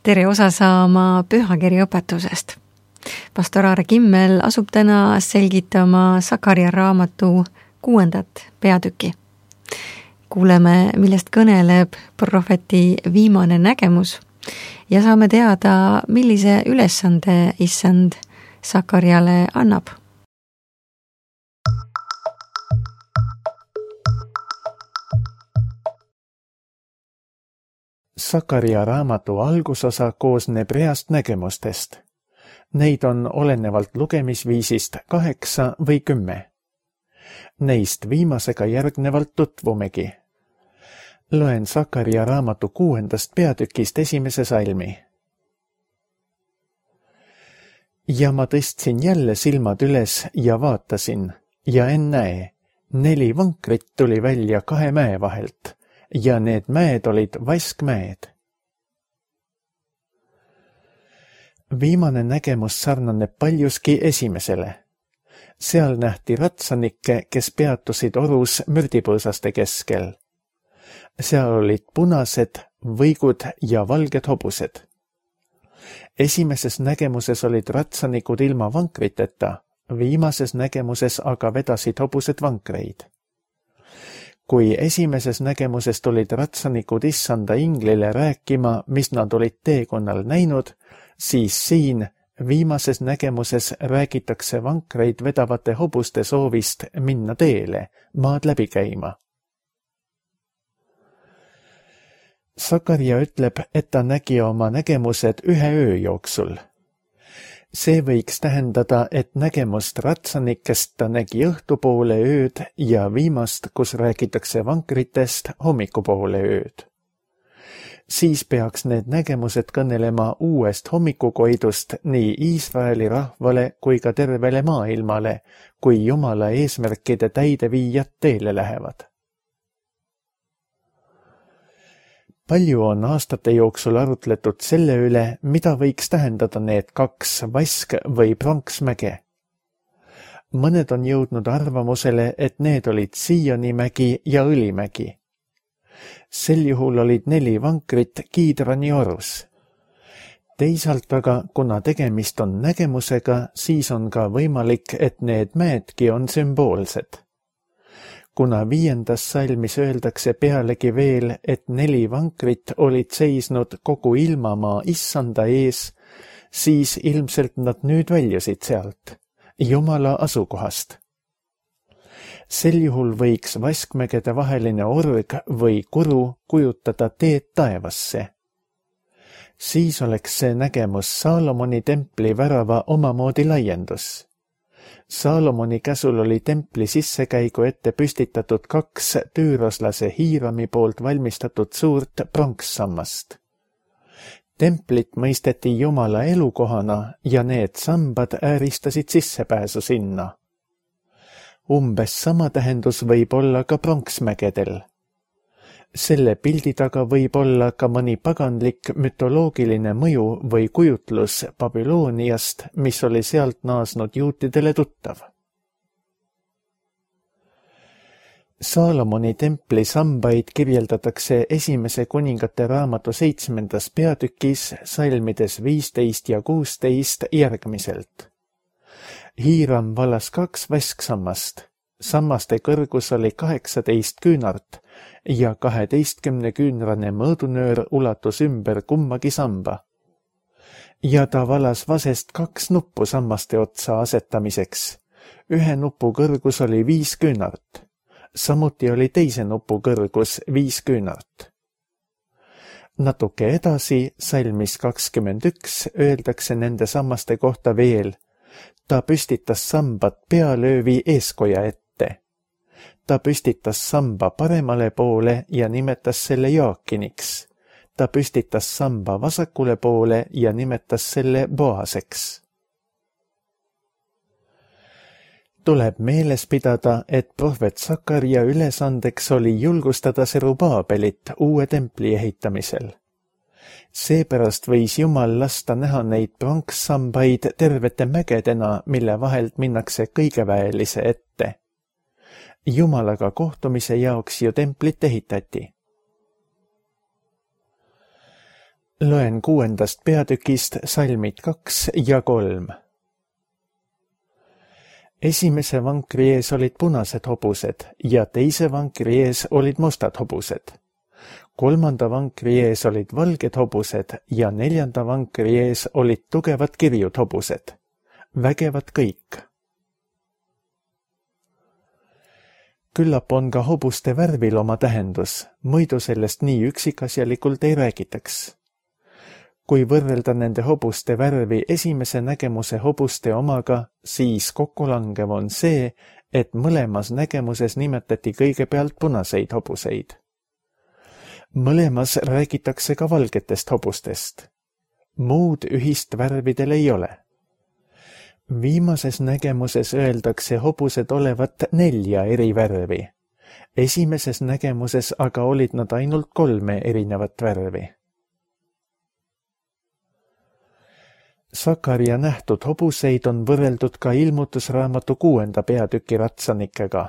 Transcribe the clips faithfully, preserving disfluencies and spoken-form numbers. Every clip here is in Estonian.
tere osa saama pühakirja õpetusest. Pastor Aare Kimmel asub täna selgitama Sakaria raamatu kuuendat peatüki. Kuuleme, millest kõneleb prohveti viimane nägemus ja saame teada, millise ülesande issand Sakariale annab. Sakaria raamatu algusosa koosneb reast nägemustest. Neid on olenevalt lugemisviisist kaheksa või kümme. Neist viimasega järgnevalt tutvumegi. Loen Sakaria raamatu kuuendast peatükist esimese salmi. Ja ma tõstsin jälle silmad üles ja vaatasin, ja ennäe, neli vankrit tuli välja kahe mäe vahelt, ja need mäed olid vaskmäed. Viimane nägemus sarnaneb paljuski esimesele. Seal nähti ratsanikke, kes peatusid orus mürdipõõsaste keskel. Seal olid punased, võigud ja valged hobused. Esimeses nägemuses olid ratsanikud ilma vankriteta, viimases nägemuses aga vedasid hobused vankreid. Kui esimeses nägemuses tulid ratsanikud issanda inglile rääkima, mis nad olid teekonnal näinud, siis siin viimases nägemuses räägitakse vankreid vedavate hobuste soovist minna teele, maad läbi käima. Sakaria ütleb, et ta nägi oma nägemused ühe öö jooksul. See võiks tähendada, et nägemust ratsanikest ta nägi õhtupoole ööd ja viimast, kus räägitakse vankritest, hommikupoole ööd. Siis peaks need nägemused kõnelema uuest hommikukoidust nii Iisraeli rahvale kui ka tervele maailmale, kui Jumala eesmärkide täideviijad teele lähevad. Palju on aastate jooksul arutletud selle üle, mida võiks tähendada need kaks vask- või pronksmäge. Mõned on jõudnud arvamusele, et need olid Sionimägi ja Õlimägi. Sel juhul olid neli vankrit Kiidrani orus. Teisalt aga, kuna tegemist on nägemusega, siis on ka võimalik, et need mäedki on sümboolsed. Kuna viiendas salmis öeldakse pealegi veel, et neli vankrit olid seisnud kogu ilmamaa issanda ees, siis ilmselt nad nüüd väljusid sealt, Jumala asukohast. Sel juhul võiks vaskmägede vaheline org või kuru kujutada teed taevasse. Siis oleks see nägemus Saalomoni templi värava omamoodi laiendus. Saalomoni käsul oli templi sissekäigu ette püstitatud kaks tüüroslase Hiirami poolt valmistatud suurt pronkssammast. Templit mõisteti Jumala elukohana ja need sambad ääristasid sissepääsu sinna. Umbes sama tähendus võib olla ka pronksmägedel. Selle pildi taga võib olla ka mõni paganlik mütoloogiline mõju või kujutlus Babyloniast, mis oli sealt naasnud juutidele tuttav. Saalomoni templi sambaid kirjeldatakse esimese kuningate raamatu seitsmendas peatükis salmides viisteist ja kuusteist järgmiselt. Hiiram valas kaks vasksammast. Sammaste kõrgus oli kaheksateist küünart ja kaheteistkümne küünrane mõõdunöör ulatus ümber kummagi samba. Ja ta valas vasest kaks nuppu sammaste otsa asetamiseks. Ühe nupu kõrgus oli viis küünart. Samuti oli teise nupu kõrgus viis küünart. Natuke edasi, salmis kakskümmend üks, öeldakse nende sammaste kohta veel. Ta püstitas sambad pealöövi eeskoja ette. Ta püstitas samba paremale poole ja nimetas selle Jaakiniks. Ta püstitas samba vasakule poole ja nimetas selle Boaseks. Tuleb meeles pidada, et prohvet Sakaria ülesandeks oli julgustada Serubaabelit uue templi ehitamisel. Seepärast võis Jumal lasta näha neid pronkssambaid tervete mägedena, mille vahelt minnakse kõigeväelise ette. Jumalaga kohtumise jaoks ju templit ehitati. Loen kuuendast peatükist salmid kaks ja kolm. Esimese vankri ees olid punased hobused ja teise vankri ees olid mustad hobused. Kolmanda vankri ees olid valged hobused ja neljanda vankri ees olid tugevad kirjud hobused. Vägevad kõik. Küllap on ka hobuste värvil oma tähendus, muidu sellest nii üksikasjalikult ei räägitaks. Kui võrrelda nende hobuste värvi esimese nägemuse hobuste omaga, siis kokkulangev on see, et mõlemas nägemuses nimetati kõigepealt punaseid hobuseid. Mõlemas räägitakse ka valgetest hobustest. Muud ühist värvidel ei ole. Viimases nägemuses öeldakse hobused olevat nelja eri värvi. Esimeses nägemuses aga olid nad ainult kolme erinevat värvi. Sakaria nähtud hobuseid on võrreldud ka ilmutusraamatu kuuenda peatüki ratsanikega.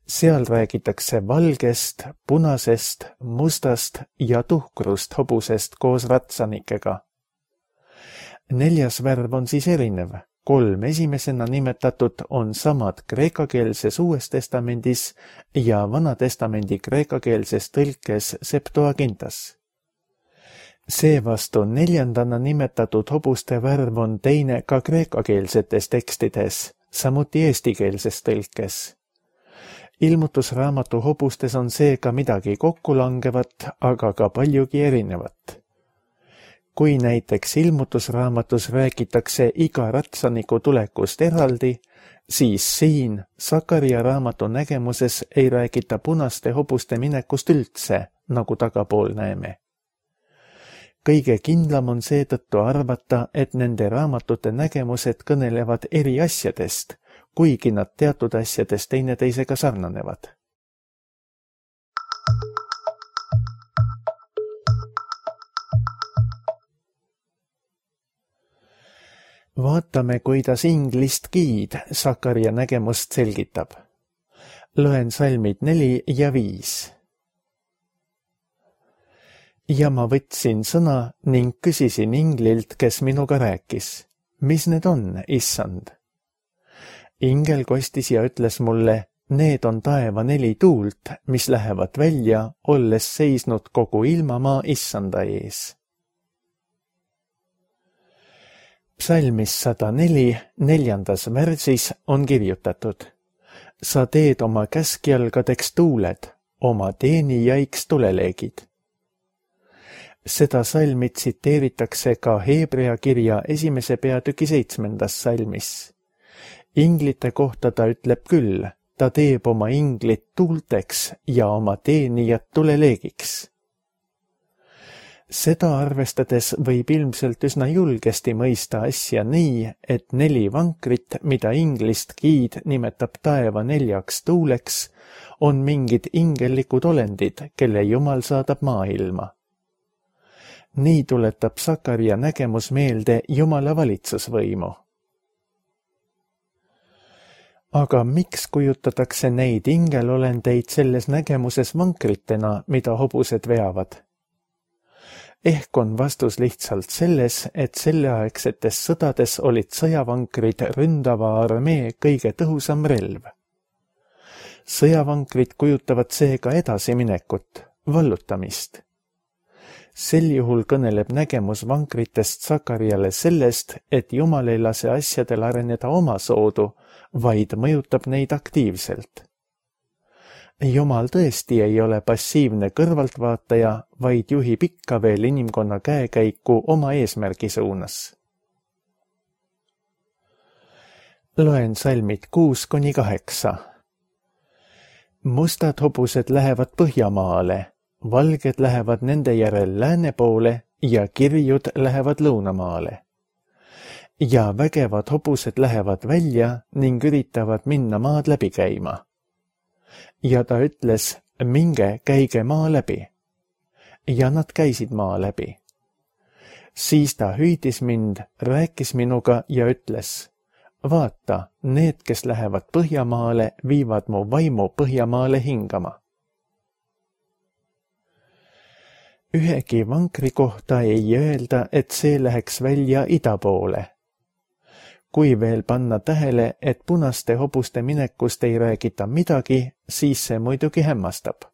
Seal räägitakse valgest, punasest, mustast ja tuhkrust hobusest koos ratsanikega. Neljas värv on siis erinev. Kolm esimesena nimetatud on samad kreekakeelses Uues testamendis ja Vanatestamendi kreekakeelses tõlkes Septuagintas. Seevastu neljandana nimetatud hobuste värv on teine ka kreekakeelsetes tekstides, samuti eestikeelses tõlkes. Ilmutusraamatu hobustes on seega midagi kokkulangevat, aga ka paljugi erinevat. Kui näiteks ilmutusraamatus räägitakse iga ratsaniku tulekust eraldi, siis siin Sakaria raamatu nägemuses ei räägita punaste hobuste minekust üldse, nagu tagapool näeme. Kõige kindlam on seetõttu arvata, et nende raamatute nägemused kõnelevad eri asjadest, kuigi nad teatud asjadest teineteisega sarnanevad. Vaatame, kuidas inglist giid Sakaria nägemust selgitab. Loen salmid neli ja viis. Ja ma võtsin sõna ning küsisin inglilt, kes minuga rääkis. Mis need on, issand? Ingel kostis ja ütles mulle, need on taeva neli tuult, mis lähevad välja, olles seisnud kogu ilmamaa issanda ees. Psalmis sada neli, neljandas värsis on kirjutatud. Sa teed oma käskjalgadeks tuuled, oma teenijaiks tuleleegid. Seda salmi tsiteeritakse ka Heebrea kirja esimese peatüki seitsmendas salmis. Inglite kohta ta ütleb küll, ta teeb oma inglit tuulteks ja oma teenijat tuleleegiks. Seda arvestades võib ilmselt üsna julgesti mõista asja nii, et neli vankrit, mida inglist giid nimetab taeva neljaks tuuleks, on mingid ingellikud olendid, kelle Jumal saadab maailma. Nii tuletab Sakaria nägemus meelde Jumala valitsusvõimu. Aga miks kujutatakse neid ingelolendeid selles nägemuses vankritena, mida hobused veavad? Ehk on vastus lihtsalt selles, et selleaegsetes sõdades olid sõjavankrid ründava armee kõige tõhusam relv. Sõjavankrid kujutavad seega edasiminekut, vallutamist. Sel juhul kõneleb nägemus vankritest Sakariale sellest, et Jumal ei lase asjadel areneda omasoodu, vaid mõjutab neid aktiivselt. Jumal tõesti ei ole passiivne kõrvaltvaataja, vaid juhib ikka veel inimkonna käekäiku oma eesmärgi suunas. Loen salmid kuus kuni kaheksa. Mustad hobused lähevad Põhjamaale, valged lähevad nende järel lääne poole ja kirjud lähevad lõunamaale. Ja vägevad hobused lähevad välja ning üritavad minna maad läbi käima. Ja ta ütles, minge käige maa läbi. Ja nad käisid maa läbi. Siis ta hüüdis mind, rääkis minuga ja ütles, vaata, need, kes lähevad Põhjamaale, viivad mu vaimu Põhjamaale hingama. Ühegi vankri kohta ei öelda, et see läheks välja ida poole. Kui veel panna tähele, et punaste hobuste minekust ei räägita midagi, siis see muidugi hämmastab.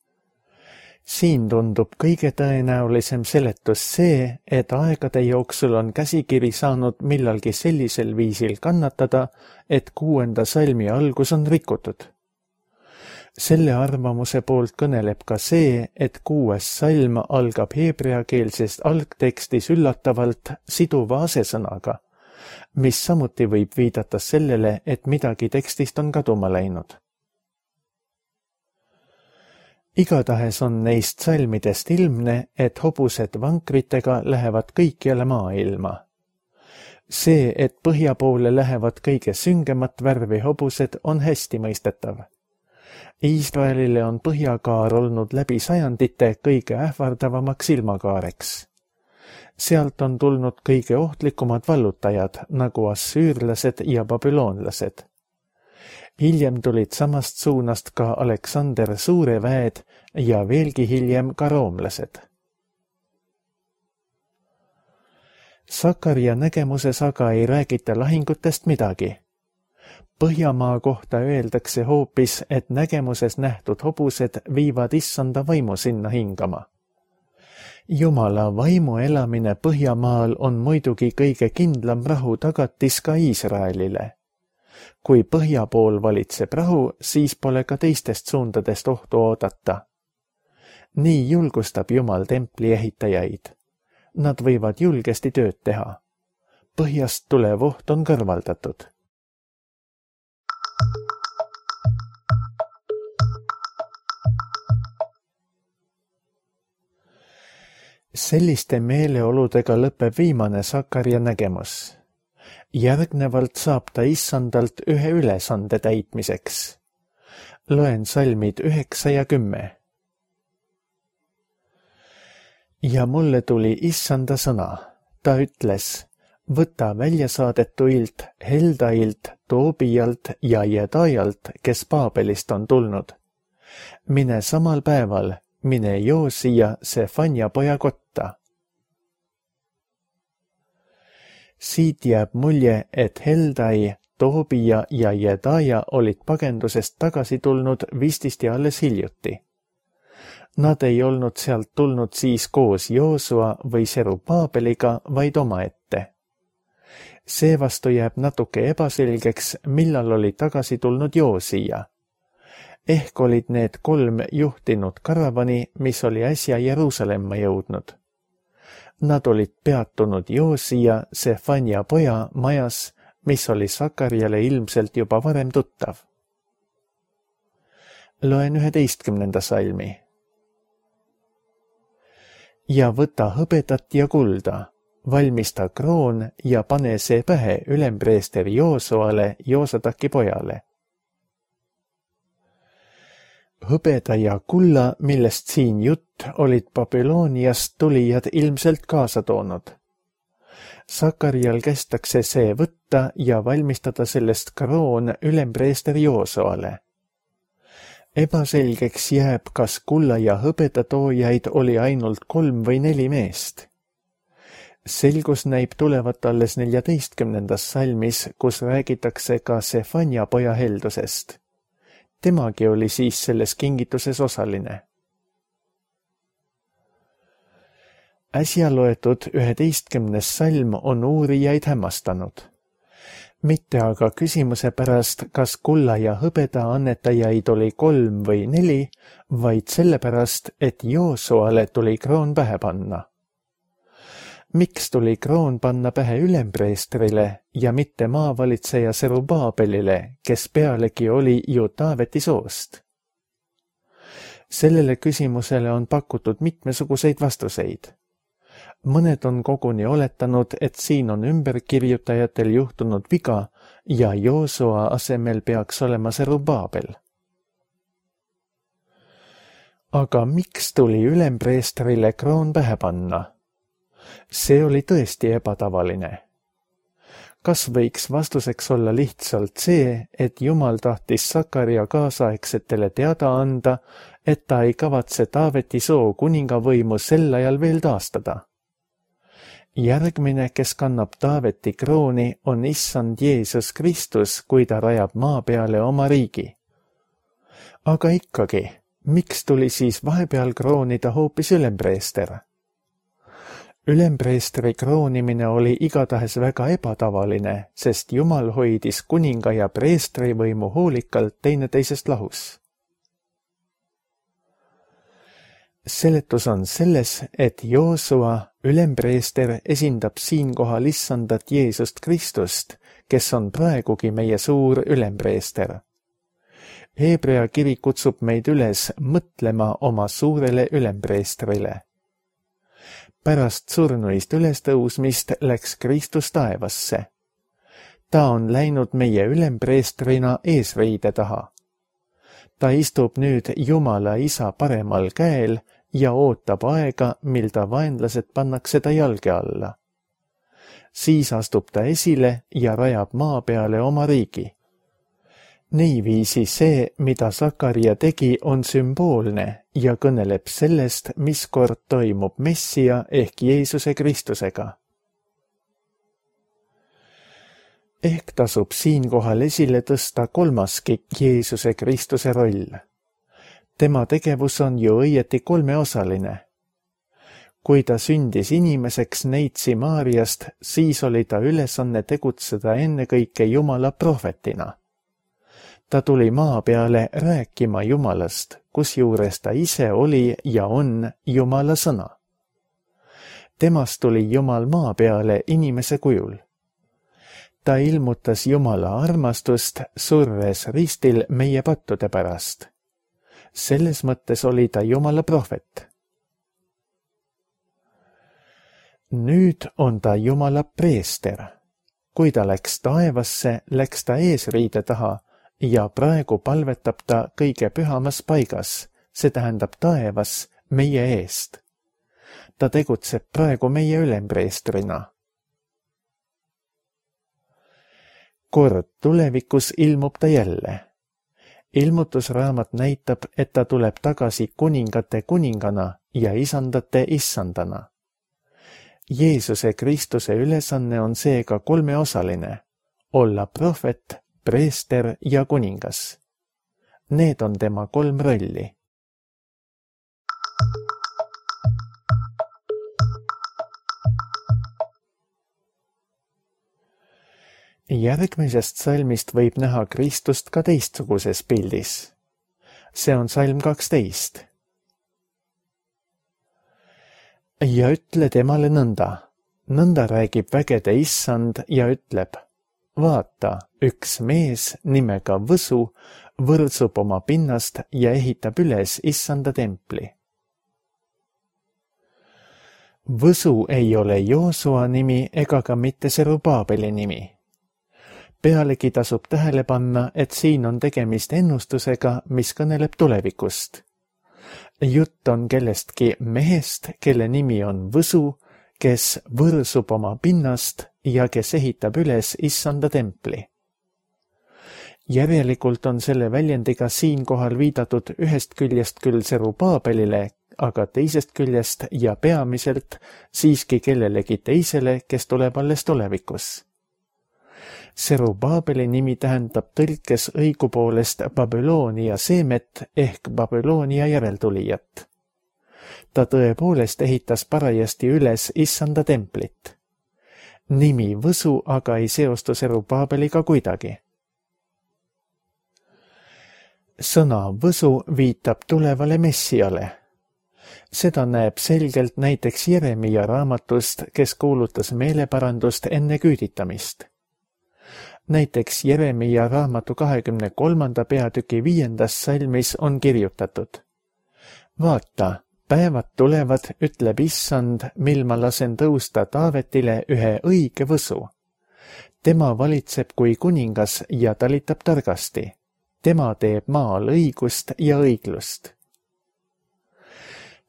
Siin tundub kõige tõenäolisem seletus see, et aegade jooksul on käsikiri saanud millalgi sellisel viisil kannatada, et kuuenda salmi algus on rikutud. Selle arvamuse poolt kõneleb ka see, et kuues salm algab heebreakeelsest algtekstis üllatavalt siduva asesõnaga, mis samuti võib viidata sellele, et midagi tekstist on kaduma läinud. Igatahes on neist salmidest ilmne, et hobused vankritega lähevad kõikjale maailma. See, et põhja poole lähevad kõige süngemat värvi hobused, on hästi mõistetav. Iisraelile on põhjakaar olnud läbi sajandite kõige ähvardavamaks ilmakaareks. Sealt on tulnud kõige ohtlikumad vallutajad, nagu assüürlased ja babüloonlased. Hiljem tulid samast suunast ka Aleksander Suure väed ja veelgi hiljem ka roomlased. Sakaria nägemuses aga ei räägita lahingutest midagi. Põhjamaa kohta öeldakse hoopis, et nägemuses nähtud hobused viivad issanda vaimu sinna hingama. Jumala vaimu elamine Põhjamaal on muidugi kõige kindlam rahu tagatis ka Iisraelile. Kui põhja pool valitseb rahu, siis pole ka teistest suundadest ohtu oodata. Nii julgustab Jumal templi ehitajaid. Nad võivad julgesti tööd teha. Põhjast tulev oht on kõrvaldatud. Selliste meeleoludega lõpeb viimane Sakaria nägemus. Järgnevalt saab ta issandalt ühe ülesande täitmiseks. Loen salmid üheksa ja kümme. Ja mulle tuli issanda sõna. Ta ütles, võta väljasaadetuilt, Heldailt, Toobijalt ja Jedajalt, kes Paabelist on tulnud. Mine samal päeval, mine Joosia Sefania poja kotta. Siit jääb mulje, et Heldai, Toobija ja Jedaja olid pagendusest tagasi tulnud vististi alles hiljuti. Nad ei olnud sealt tulnud siis koos Joosua või Serubaabeliga, vaid omaette. Seevastu jääb natuke ebaselgeks, millal oli tagasi tulnud Joosia. Ehk olid need kolm juhtinud karavani, mis oli äsja Jeruusalemma jõudnud. Nad olid peatunud Joosia Sefania poja majas, mis oli Sakariale ilmselt juba varem tuttav. Loen üheteistkümnenda salmi. Ja võta hõbedat ja kulda, valmista kroon ja pane see pähe ülempreester Joosuale, Joosadaki pojale. Hõbeda ja kulla, millest siin jutt, olid Babyloniast tulijad ilmselt kaasa toonud. Sakarial kästakse see võtta ja valmistada sellest kroon ülempreester Joosuale. Ebaselgeks jääb, kas kulla ja hõbeda toojaid oli ainult kolm või neli meest. Selgus näib tulevat alles neljateistkümnendas salmis, kus räägitakse ka Sefania poja heldusest. Temagi oli siis selles kingituses osaline. Äsja loetud üheteistkümnes salm on uurijaid hämmastanud. Mitte aga küsimuse pärast, kas kulla ja hõbeda annetajaid oli kolm või neli, vaid sellepärast, et Joosuale tuli kroon pähe panna. Miks tuli kroon panna pähe ülempreestrile ja mitte maavalitseja Serubaabelile, kes pealegi oli ju Taaveti soost? Sellele küsimusele on pakutud mitmesuguseid vastuseid. Mõned on koguni oletanud, et siin on ümberkirjutajatel juhtunud viga ja Joosua asemel peaks olema Serubaabel. Aga miks tuli ülempreestrile kroon pähe panna? See oli tõesti ebatavaline. kas võiks vastuseks olla lihtsalt see, et Jumal tahtis Sakaria kaasaegsetele teada anda, et ta ei kavatse Taaveti soo kuningavõimu sel ajal veel taastada? Järgmine, kes kannab Taaveti krooni, on issand Jeesus Kristus, kui ta rajab maa peale oma riigi. Aga ikkagi, miks tuli siis vahepeal kroonida hoopis ülempreester? Ülempreestri kroonimine oli igatahes väga ebatavaline, sest Jumal hoidis kuninga ja preestri võimu hoolikalt teineteisest lahus. Seletus on selles, et Joosua, ülempreester, esindab siinkohal issandat Jeesust Kristust, kes on praegugi meie suur ülempreester. Hebrea kiri kutsub meid üles mõtlema oma suurele ülempreestrile. Pärast surnuist ülestõusmist läks Kristus taevasse. Ta on läinud meie ülempreestrina eesriide taha. Ta istub nüüd Jumala Isa paremal käel ja ootab aega, mil ta vaenlased pannakse ta jalge alla. Siis astub ta esile ja rajab maa peale oma riigi. Niiviisi see, mida Sakaria tegi, on sümboolne ja kõneleb sellest, mis kord toimub Messia ehk Jeesuse Kristusega. Ehk tasub siinkohal esile tõsta kolmaski Jeesuse Kristuse roll. Tema tegevus on ju õieti kolmeosaline. Kui ta sündis inimeseks neitsi Maariast, siis oli ta ülesanne tegutseda ennekõike Jumala prohvetina. Ta tuli maa peale rääkima Jumalast, kusjuures ta ise oli ja on Jumala sõna. Temast tuli Jumal maa peale inimese kujul. Ta ilmutas Jumala armastust, surres ristil meie pattude pärast. Selles mõttes oli ta Jumala prohvet. Nüüd on ta Jumala preester. Kui ta läks taevasse, läks ta eesriide taha, ja praegu palvetab ta kõige pühamas paigas, see tähendab taevas, meie eest. Ta tegutseb praegu meie ülempreestrina. Kord tulevikus ilmub ta jälle. Ilmutusraamat näitab, et ta tuleb tagasi kuningate kuningana ja isandate issandana. Jeesuse Kristuse ülesanne on seega kolmeosaline, olla prohvet, preester ja kuningas. Need on tema kolm rolli. Järgmisest salmist võib näha Kristust ka teistsuguses pildis. See on salm kaksteist. Ja ütle temale nõnda. Nõnda räägib vägede issand ja ütleb: vaata, üks mees nimega Võsu võrdsub oma pinnast ja ehitab üles issanda templi. Võsu ei ole Joosua nimi ega ka mitte Serubaabeli nimi. Pealegi tasub tähele panna, et siin on tegemist ennustusega, mis kõneleb tulevikust. Jutt on kellestki mehest, kelle nimi on Võsu, kes võrsub oma pinnast ja kes ehitab üles issanda templi. Järelikult on selle väljendiga siinkohal viidatud ühest küljest küll Serubaabelile, aga teisest küljest ja peamiselt siiski kellelegi teisele, kes tuleb alles tulevikus. Serubaabeli nimi tähendab tõlkes õigupoolest Babyloonia seemet ehk Babyloonia järeltulijat. Ta tõepoolest ehitas parajasti üles issanda templit. Nimi Võsu aga ei seostu Serubaabeliga kuidagi. Sõna Võsu viitab tulevale Messiale. Seda näeb selgelt näiteks Jeremia raamatust, kes kuulutas meeleparandust enne küüditamist. Näiteks Jeremia raamatu kahekümne kolmanda peatüki viiendas salmis on kirjutatud: vaata, päevad tulevad, ütleb issand, mil ma lasen tõusta Taavetile ühe õige Võsu. Tema valitseb kui kuningas ja talitab targasti. Tema teeb maal õigust ja õiglust.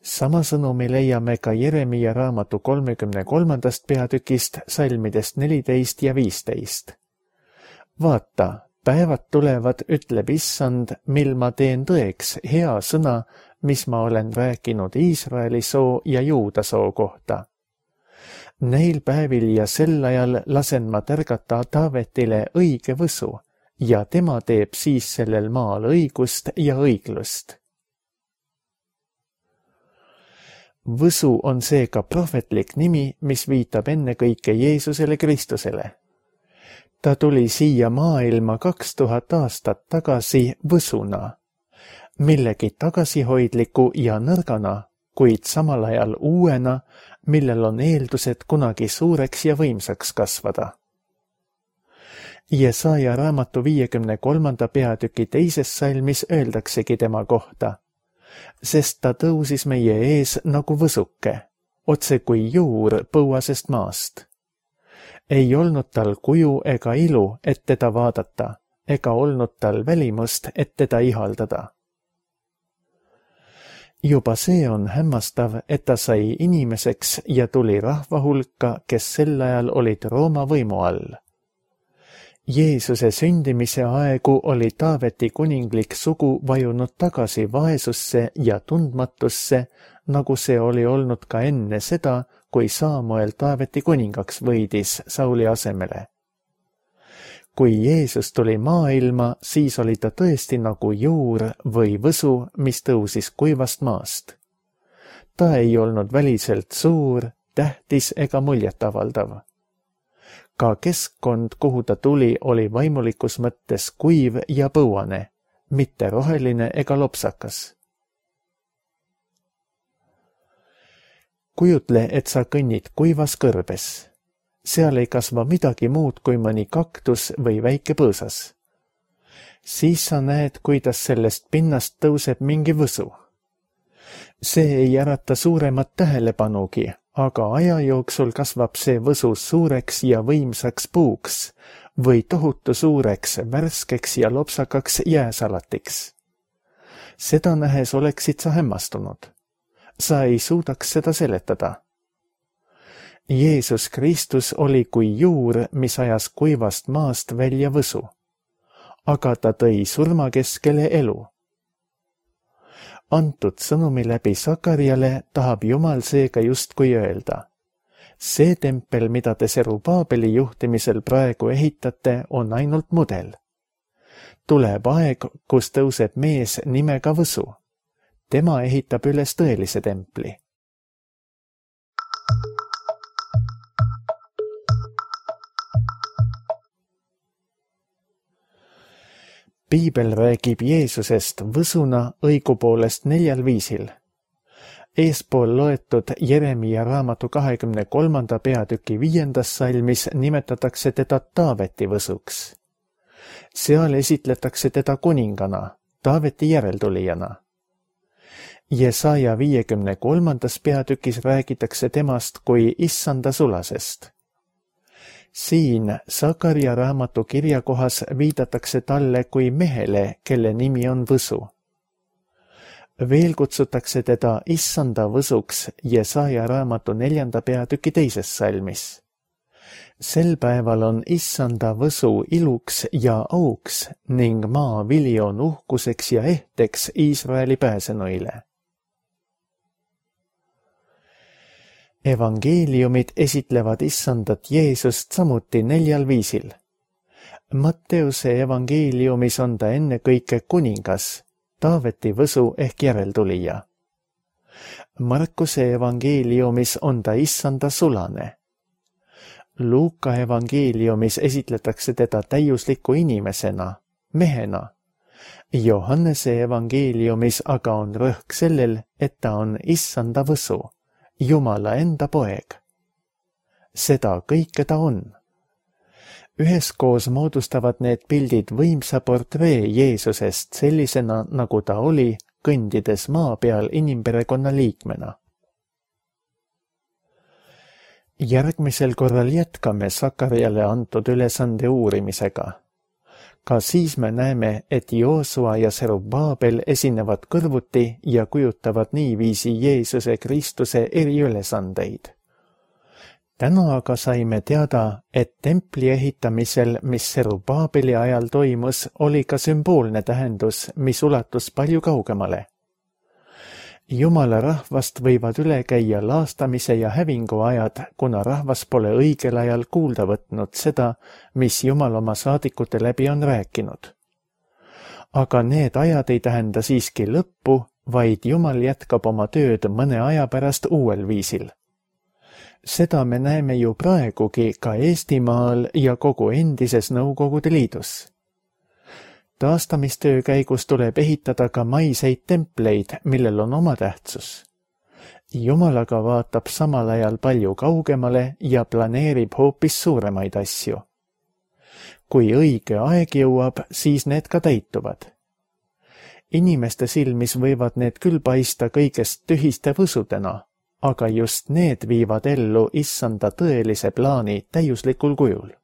sama sõnumi leiame ka Jeremiia raamatu kolmekümne kolmandast peatükist salmidest neliteist ja viisteist. Vaata, päevad tulevad, ütleb Issand, mil ma teen tõeks hea sõna, mis ma olen rääkinud Iisraeli soo ja Juuda soo kohta. Neil päevil ja sel ajal lasen ma tärgata Taavetile õige võsu ja tema teeb siis sellel maal õigust ja õiglust. Võsu on seega prohvetlik nimi, mis viitab ennekõike Jeesusele Kristusele. Ta tuli siia maailma kaks tuhat aastat tagasi võsuna, millegi tagasihoidliku ja nõrgana, kuid samal ajal uuena, millel on eeldused kunagi suureks ja võimsaks kasvada. Jesaja raamatu viiekümne kolmanda peatüki teises salmis öeldaksegi tema kohta, sest ta tõusis meie ees nagu võsuke, otse kui juur põuasest maast. Ei olnud tal kuju ega ilu, et teda vaadata, ega olnud tal välimust, et teda ihaldada. Juba see on hämmastav, et ta sai inimeseks ja tuli rahva hulka, kes sel ajal olid Rooma võimu all. Jeesuse sündimise aegu oli Taaveti kuninglik sugu vajunud tagasi vaesusse ja tundmatusse, nagu see oli olnud ka enne seda, kui Saamuel Taaveti kuningaks võidis Sauli asemele. Kui Jeesus tuli maailma, siis oli ta tõesti nagu juur või võsu, mis tõusis kuivast maast. Ta ei olnud väliselt suur, tähtis ega muljetavaldav. Ka keskkond, kuhu ta tuli, oli vaimulikus mõttes kuiv ja põuane, mitte roheline ega lopsakas. Kujutle, et sa kõnnid kuivas kõrbes. Seal ei kasva midagi muud kui mõni kaktus või väike põõsas. Siis sa näed, kuidas sellest pinnast tõuseb mingi võsu. See ei ärata suuremat tähelepanugi, aga aja jooksul kasvab see võsu suureks ja võimsaks puuks või tohutu suureks, värskeks ja lopsakaks jääsalatiks. Seda nähes oleksid sa hämmastunud. Sa ei suudaks seda seletada. Jeesus Kristus oli kui juur, mis ajas kuivast maast välja võsu, aga ta tõi surma keskele elu. Antud sõnumi läbi Sakariale tahab Jumal seega justkui öelda. See tempel, mida te Serubaabeli juhtimisel praegu ehitate, on ainult mudel. Tuleb aeg, kus tõuseb mees nimega Võsu. Tema ehitab üles tõelise templi. Piibel räägib Jeesusest võsuna õigupoolest neljal viisil. Eespool loetud Jeremiia raamatu kahekümne kolmanda peatüki viiendas salmis nimetatakse teda Taaveti võsuks. Seal esitletakse teda kuningana, Taaveti järeltulijana. Jesaja viiekümne kolmandas peatükis räägitakse temast kui issanda sulasest. Siin Sakaria raamatu kirjakohas viidatakse talle kui mehele, kelle nimi on Võsu. Veel kutsutakse teda issanda võsuks Jesaja raamatu neljanda peatüki teises salmis. Sel päeval on issanda võsu iluks ja auks ning maa vili on uhkuseks ja ehteks Iisraeli pääsenuile. Evangeeliumid esitlevad issandat Jeesust samuti neljal viisil. Matteuse evangeeliumis on ta ennekõike kuningas, Taaveti võsu ehk järeltulija. Markuse evangeeliumis on ta issanda sulane. Luuka evangeeliumis esitletakse teda täiusliku inimesena, mehena. Johannese evangeeliumis aga on rõhk sellel, et ta on issanda võsu, Jumala enda poeg. Seda kõike ta on. Üheskoos moodustavad need pildid võimsa portree Jeesusest sellisena, nagu ta oli, kõndides maa peal inimperekonna liikmena. Järgmisel korral jätkame Sakariale antud ülesande uurimisega. Ka siis me näeme, et Joosua ja Serubaabel esinevad kõrvuti ja kujutavad niiviisi Jeesuse Kristuse eriülesandeid. Täna aga saime teada, et templi ehitamisel, mis Serubaabeli ajal toimus, oli ka sümboolne tähendus, mis ulatus palju kaugemale. Jumala rahvast võivad üle käia laastamise ja hävingu ajad, kuna rahvas pole õigel ajal kuulda võtnud seda, mis Jumal oma saadikute läbi on rääkinud. Aga need ajad ei tähenda siiski lõppu, vaid Jumal jätkab oma tööd mõne aja pärast uuel viisil. Seda me näeme ju praegugi ka Eestimaal ja kogu endises Nõukogude Liidus. Taastamistöö käigus tuleb ehitada ka maiseid templeid, millel on oma tähtsus. Jumal aga vaatab samal ajal palju kaugemale ja planeerib hoopis suuremaid asju. Kui õige aeg jõuab, siis need ka täituvad. Inimeste silmis võivad need küll paista kõigest tühiste võsudena, aga just need viivad ellu issanda tõelise plaani täiuslikul kujul.